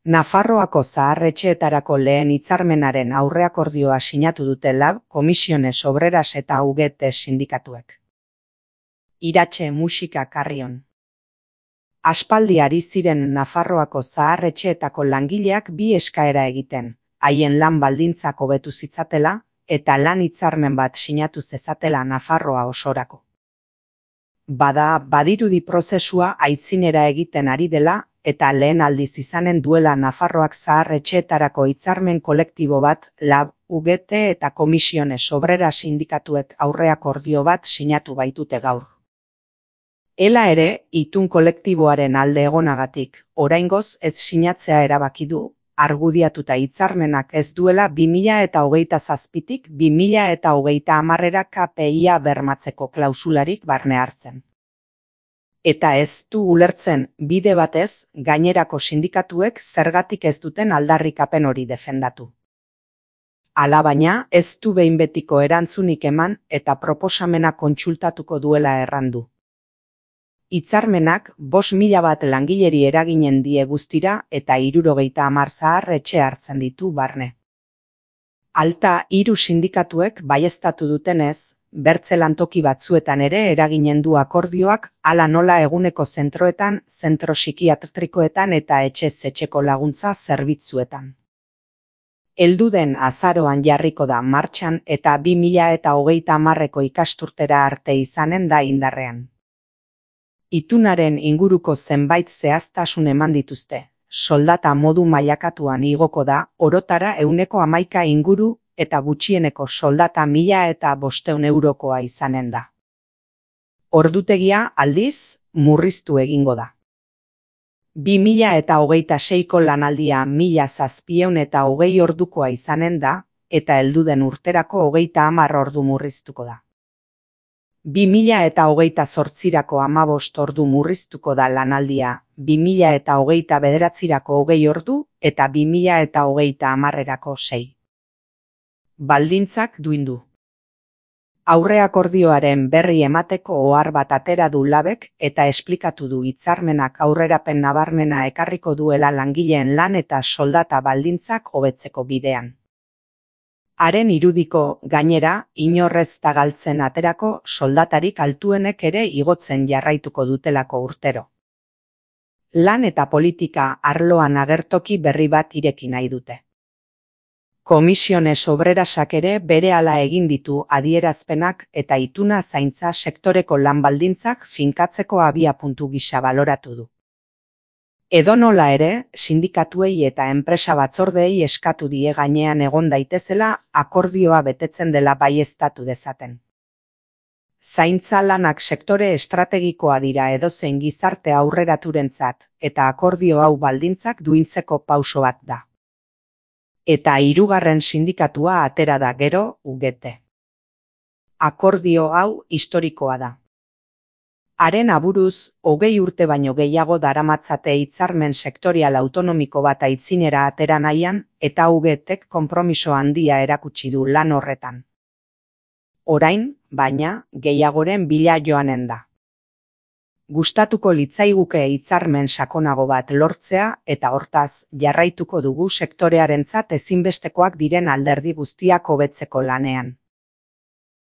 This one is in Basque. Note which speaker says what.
Speaker 1: Nafarroako zahar-etxeetarako lehen hitzarmenaren aurreakordioa sinatu dute LAB, Comisiones Obreras eta UGT sindikatuek. Iratxe musika Carrion. Aspaldi ari ziren Nafarroako zahar-etxeetako langileak bi eskaera egiten, haien lan baldintzak hobetu zitzatela, eta lan hitzarmen bat sinatu zezatela Nafarroa osorako. Badirudi prozesua aitzinera egiten ari dela, eta lehen aldiz izanen duela Nafarroak zahar-etxeetarako hitzarmen kolektibo bat LAB, UGT eta Comisiones Obreras sindikatuek aurreakordio bat sinatu baitute gaur. Ela ere, itun kolektiboaren alde egonagatik, oraingoz ez sinatzea erabaki du, argudiatuta hitzarmenak ez duela 2027tik 2030 KPIa bermatzeko klausularik barne hartzen. Eta ez du ulertzen bide batez gainerako sindikatuek zergatik ez duten aldarrikapen hori defendatu. Alabaina ez du behin betiko erantzunik eman eta proposamena kontsultatuko duela errandu. Hitzarmenak 5.000 bat langileri eraginen die guztira eta 70 zahar-etxe hartzen ditu barne. Alta 3 sindikatuek baieztatu dutenez, bertze lantoki batzuetan ere eraginen du akordioak, hala nola eguneko zentroetan, zentro psikiatrikoetan eta etxez-etxeko laguntza zerbitzuetan. Heldu den azaroan jarriko da martxan eta 2030ko ikasturtera arte izanen da indarrean. Itunaren inguruko zenbait zehaztasun eman dituzte, soldata modu mailakatuan igoko da, orotara 11% inguru eta gutxieneko soldata 1.500 eurokoa izanen da. Ordutegia aldiz murriztu egingo da. 2026ko lanaldia 1.720 ordukoa izanen da, eta helduden urterako 30 ordu murriztuko da. 2028ko 15 ordu murriztuko da lanaldia, 2029ko 20 ordu eta 2030erako 6. Baldintzak duindu. Aurreakordioaren berri emateko ohar bat atera du LABek eta esplikatu du hitzarmenak aurrerapen nabarmena ekarriko duela langileen lan eta soldata baldintzak hobetzeko bidean. Haren irudiko, gainera, inorrez da galtzen aterako soldatarik altuenek ere igotzen jarraituko dutelako urtero. Lan eta politika arloan agertoki berri bat ireki nahi dute. Comisiones Obrerasak ere berehala egin ditu adierazpenak eta ituna zaintza sektoreko lan baldintzak finkatzeko abiapuntu gisa baloratu du. Edonola ere, sindikatuei eta enpresa batzordeei eskatu die gainean egon daitezela akordioa betetzen dela baieztatu dezaten. Zaintza lanak sektore estrategikoa dira edozein gizarte aurreraturentzat eta akordio hau baldintzak duintzeko pauso bat da. Eta 3. sindikatua atera da gero, UGT. Akordio hau historikoa da. Haren aburuz, 20 urte baino gehiago daramatzate hitzarmen sektorial autonomiko bat aitzinera atera nahian eta UGTek konpromiso handia erakutsi du lan horretan. Orain, baina, gehiagoren bila joanen da. Gustatuko litzaiguke hitzarmen sakonago bat lortzea eta hortaz jarraituko dugu sektorearentzat ezinbestekoak diren alderdi guztiak hobetzeko lanean.